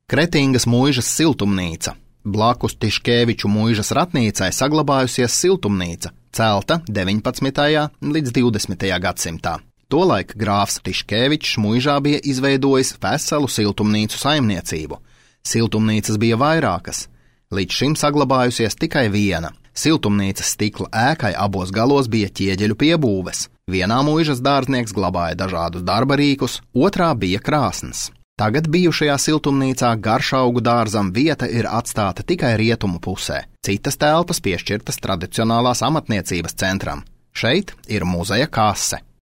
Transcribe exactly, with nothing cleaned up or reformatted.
Kretingas muižas siltumnīca. Blakus Tiškēviču muižas ratnīcai saglabājusies siltumnīca, celta deviņpadsmitajā līdz divdesmitajā gadsimtā. Tolaik grāfs Tiškēvičs muižā bija izveidojis veselu siltumnīcu saimniecību. Siltumnīcas bija vairākas. Līdz šim saglabājusies tikai viena. Siltumnīcas stikla ēkai abos galos bija ķieģeļu piebūves. Vienā muižas dārznieks glabāja dažādus darba rīkus, otrā bija krāsns. Tagad bijušajā siltumnīcā garšaugu dārzam vieta ir atstāta tikai rietumu pusē. Citas telpas piešķirtas tradicionālās amatniecības centram. Šeit ir muzeja kase.